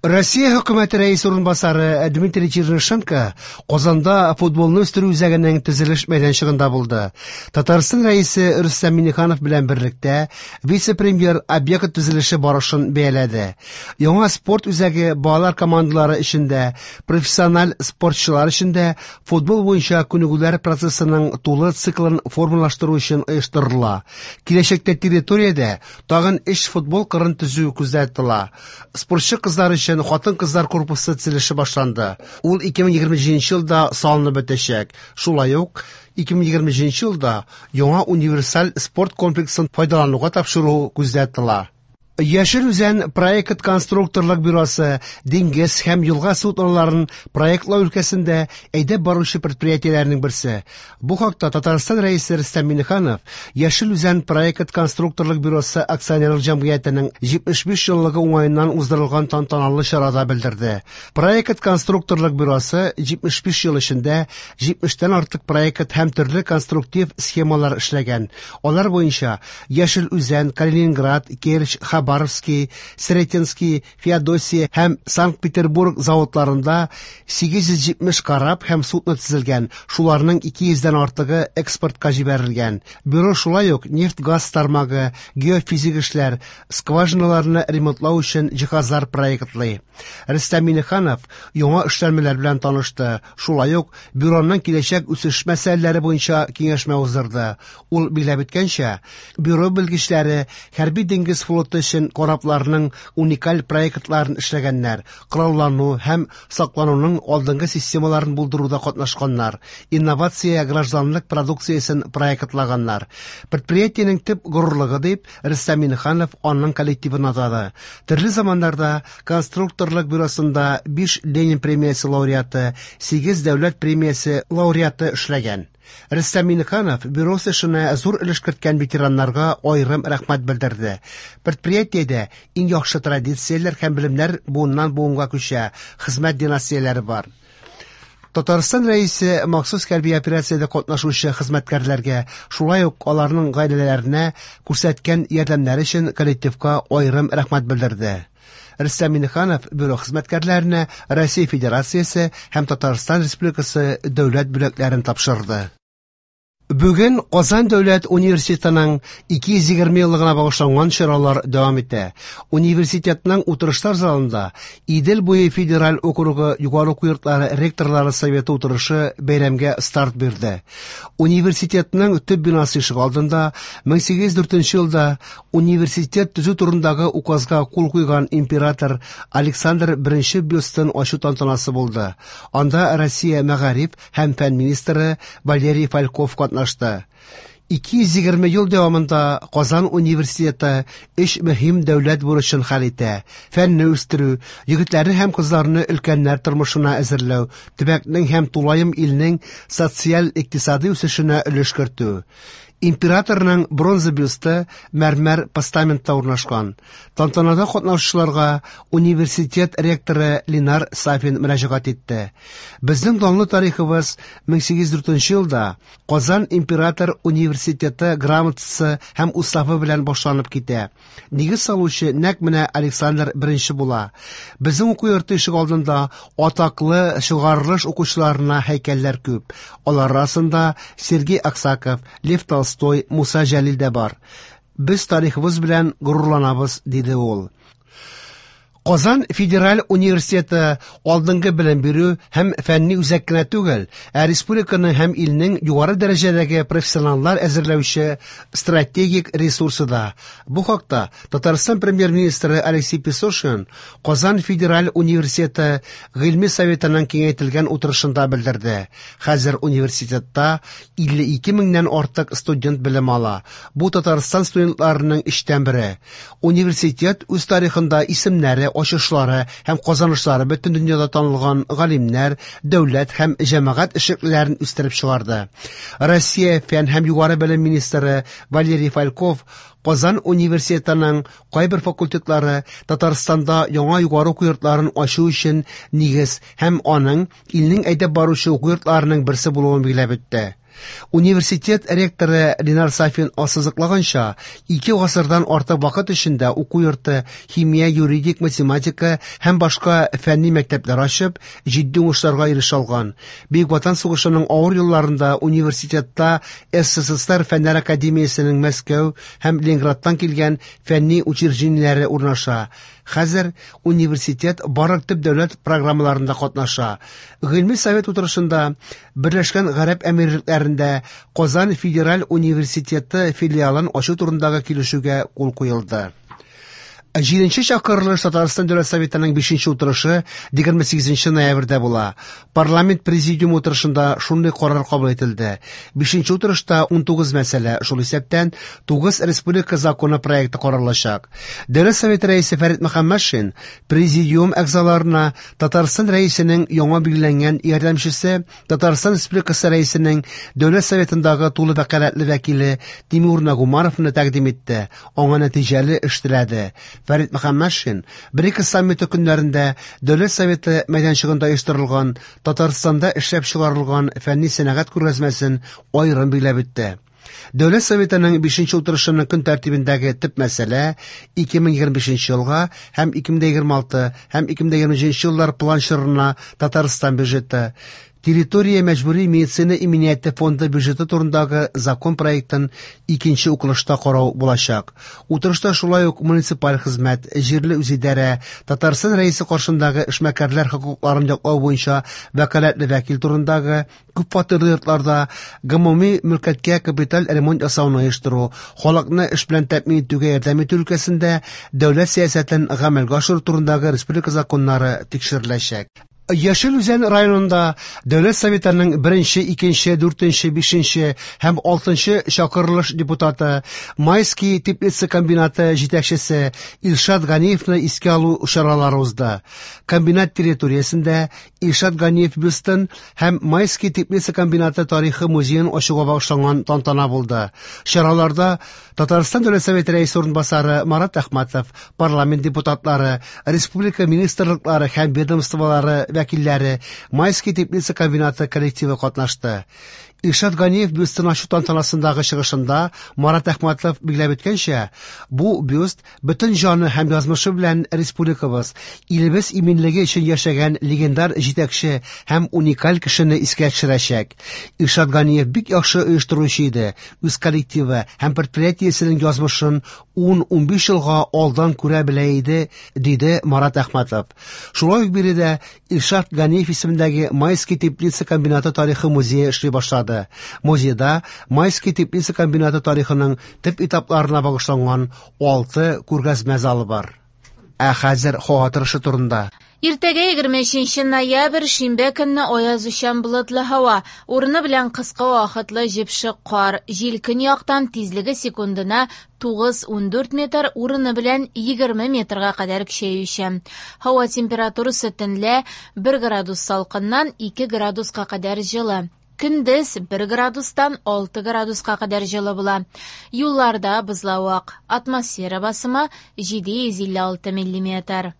Россия хөкүмәте рәисе урынбасары Дмитрий Чернышенко Казанда футболны үстерү үзәгенең төзелеш мәйданчыгында булды. Татарстан рәисе Рөстәм Миңнеханов белән берлектә вице-премьер объект төзелеше барышын бәяләде. Яңа спорт үзәге балалар командалары өчен дә, профессиональ спортчылар өчен дә футбол буенча күнегүләр процессының тулы циклын формалаштыру өчен оештырыла. Киләчәктә территориядә тагын өч футбол кырын төзү күздә тотыла. Спортчы кызлар өчен хатын-кызлар корпусы төзелеше башланды. Ул 2027 елда салынып бетәчәк. Шулай ук 2027 елда яңа универсаль спорт комплексын файдалануга тапшыру күздә тотыла. Яшел Үзән проект конструкторлык бюросы диңгез һәм елга судноларын проектлау өлкәсендә әйдәп баручы предприятиеләрнең берсе. Бу хакта Татарстан Рәисе Рөстәм Миңнеханов Яшел Үзән проект конструкторлык бюросы акционерлык җәмгыятенең 75 еллыгы уңаеннан уздырылган тантаналы чарада белдерде. Проект конструкторлык бюросы 75 ел эчендә 70тән артык проект һәм төрле конструктив схемалар эшләгән. Алар буенча Яшел Үзән, Калининград, Керчь, Хабаровский, Сретенский, Феодосия һәм Санкт-Петербург заводларында 870 кораб һәм судно төзелгән, шуларның 200дән артыгы экспортка җибәрелгән. Бюро шулай ук нефть-газ тармагы, геофизик эшләр, скважиналарны ремонтлау өчен җиһазлар проектлый. Рөстәм Миңнеханов яңа эшләнмәләр белән танышты. Шулай ук бюроның киләчәк үсеш мәсьәләләре буенча киңәшмә уздырды. Ул билгеләп үткәнчә, бюро белгечләре хәрби диңгез флоты өчен корабларның уникаль проектларын эшләгәннәр, кораллану һәм саклануның алдынгы системаларын булдыруда катнашканнар, инновация гражданлык продукциясен проектлаганнар. Предприятиенең төп горурлыгы дип Рөстәм Миңнеханов аның коллективын атады. Төрле заманнарда конструкторлык бюросында 5 Ленин премиясе лауреаты, 8 дәүләт премиясе лауреаты эшләгән. Рөстәм Миңнеханов бюро эшенә зур өлеш керткән ветераннарга аерым рәхмәт белдерде. Предприятиедә иң яхшы традицияләр һәм белемнәр буыннан буынга күчә, хезмәт династияләре бар. Татарстан Рәисе махсус хәрби операциядә катнашучы хезмәткәрләргә, шулай ук аларның гаиләләренә күрсәткән ярдәмнәре өчен коллективка аерым рәхмәт белдерде. Рөстәм Миңнеханов бюро хезмәткәрләренә Россия Федерациясе һәм Татарстан Республикасы дәүләт бүләкләрен тапшырды. Бүген Казан дәүләт университетының 220 еллыгына багышланган чаралар дәвам итә. Университетның утырышлар залында Идел буе федераль округы югары уку йортлары ректорлары советы утырышы бәйрәмгә старт бирде. Университетның төп бинасы ишегалдында 1804 елда университет төзү турындагы указга кул куйган император Александр I бюстын ачу тантанасы булды. Анда Россия мәгариф һәм фән министры Валерий Фальков катнашты. 220 ел дәвамында Казан университеты өч мөһим дәүләт бурычын хәл итә: фәнне үстерү, егетләрне һәм кызларны өлкәннәр тормышына әзерләү, төбәкнең һәм тулаем илнең социаль-икътисади үсешенә өлеш кертү. Императорның бронза бюсты мәрмәр постаментта урнашкан. Тантанада катнашучыларга университет ректоры Ленар Сафин мөрәҗәгать итте. Безнең данлы тарихыбыз 1804 елда Казан император университеты грамотасы һәм уставы белән башланып китә. Нигез салучы нәкъ менә Александр I була. Безнең уку йорты ишегалдында атаклы чыгарылыш укучыларына һәйкәлләр күп. Алар арасында Сергей Аксаков, Лев Толстой, Муса Җәлил дә бар. Без тарихыбыз белән горурланабыз, диде ул. Казан федераль университеты алдынгы белем бирү һәм фәнни үзәк кенә түгел, ә республиканың һәм илнең югары дәрәҗәдәге профессионаллар әзерләүче стратегик ресурсы да. Бу хакта Татарстан премьер-министры Алексей Песошин Казан федераль университеты гыйльми советының киңәйтелгән утырышында белдерде. Хәзер университетта 52 меңнән артык студент белем ала. Бу Татарстан студентларының өчтән бере. Университет үз тарихында исемнәре, ачышлары һәм казанышлары бөтен дөньяда танылган галимнәр, дәүләт һәм җәмәгать эшлеклеләрен үстереп чыгарды. Россия фән һәм югары белем министры Валерий Фальков Казан университетының кайбер факультетлары Татарстанда яңа югары уку йортларын ачу өчен нигез һәм аның илнең әйдәп баручы уку йортларының берсе булуын билгеләп үтте. Университет ректоры Ленар Сафин ассызыклаганча, 2 гасырдан артык вакыт эчендә уку йорты химия, юридик, математика һәм башка фәнни мәктәпләр ачып, җитди уңышларга ирешә алган. Бөек Ватан сугышының авыр елларында университетта СССР Фәннәр академиясенең Мәскәү һәм Ленинградтан килгән фәнни учреждениеләре урнаша. Хәзер университет барлык төп дәүләт программаларында катнаша. Гыйльми совет утырышында Берләшкән Гарәп Әмирлекләрендә Казан федераль университеты филиалын ачу турындагы килешүгә кул куелды. Җиденче чакырылыш Татарстан Дәүләт Советының 5нче утырышы 28 ноябрьдә була. Парламент президиумы утырышында шундый карар кабул ителде. 5нче утырышта 19 мәсьәлә, шул исәптән 9 республика законы проекты каралачак. Дәүләт Советы рәисе Фәрит Мөхәммәтшин президиум әгъзаларына Татарстан рәисенең яңа билгеләнгән ярдәмчесе, Татарстан Республикасы рәисенең Дәүләт Советындагы тулы вәкаләтле вәкиле Тимур Нагумановны тәкъдим итте, аңа нәтиҗәле эш теләде. Фәрит Мөхәммәтшин БРИКС саммиты көннәрендә Дәүләт Советы мәйданчыгында оештырылган Татарстанда эшләп чыгарылган фәнни сәнәгать күргәзмәсен аерым билгеләп үтте. Дәүләт Советының 5нче утырышының көн тәртибендәге төп мәсьәлә 2025 елга һәм 2026 һәм 2027 еллар план чорына Татарстан бюджеты, Территория мәҗбүри медицина иминияте фонды бюджеты турындагы закон проектын икенче укылышта карау булачак. Утырышта шулай ук муниципаль хезмәт, җирле үзидарә, Татарстан Рәисе каршындагы эшмәкәрләр хокукларын яклау буенча вәкаләтле вәкил турындагы, күп фатирлы йортларда гомуми мөлкәткә капиталь ремонт ясауны оештыру, халыкны эш белән тәэмин итүгә ярдәм итү өлкәсендә дәүләт сәясәтен гамәлгә ашыру турындагы республика законнары тикшереләчәк. Яшел Үзән районында Дәүләт Советының 1-нче, 2-нче, 4-нче, 5-нче һәм 6-нчы чакырылыш депутаты, Майский теплица комбинаты җитәкчесе Илшат Ганиевны искә алу чаралары узды. Комбинат территориясендә Илшат Ганиев бюстын һәм Майский теплица комбинаты тарихы музеен ачуга багышланган тантана булды. Чараларда Татарстан Дәүләт Советы рәисе урынбасары Марат Әхмәтов, парламент депутатлары, республика министрлыклары һәм ведомстволары вәкилләре, Майский теплица комбинаты коллективы катнашты. Илшат Ганиев бюстын ачу тантанасындагы чыгышында Марат Әхмәтов билгеләп үткәнчә, бу бюст бөтен җаны һәм язмышы белән республикабыз, илебез иминлеге өчен яшәгән легендар җитәкче һәм уникаль кешене искә төшерәчәк. Илшат Ганиев бик яхшы оештыручы иде, үз коллективы һәм предприятиесенең язмышын 10-15 елга алдан күрә белә иде, диде Марат Әхмәтов. Шулай ук биредә Илшат Ганиев исемендәге Майский теплица комбинаты тарихы музее эшли башлады. Музейда Майский теплица комбинаты тарихының төп этапларына багышланган 6 күргәзмә залы бар. Ә хәзер һава торышы турында. Иртәгә 23 ноябрь, шимбә көнне аязучан болытлы һава, урыны белән кыска вакытлы җепшек кар, җил көньяктан тизлеге секундына 9-14 метр, урыны белән 20 метрга кадәр көчәючән. Һава температурасы төнлә 1 градус салкыннан 2 градуска кадәр җылы. Көндез 1 градустан 6 градуска кадәр җылы була. Юлларда бозлавык. Атмосфера басымы 756 миллиметр.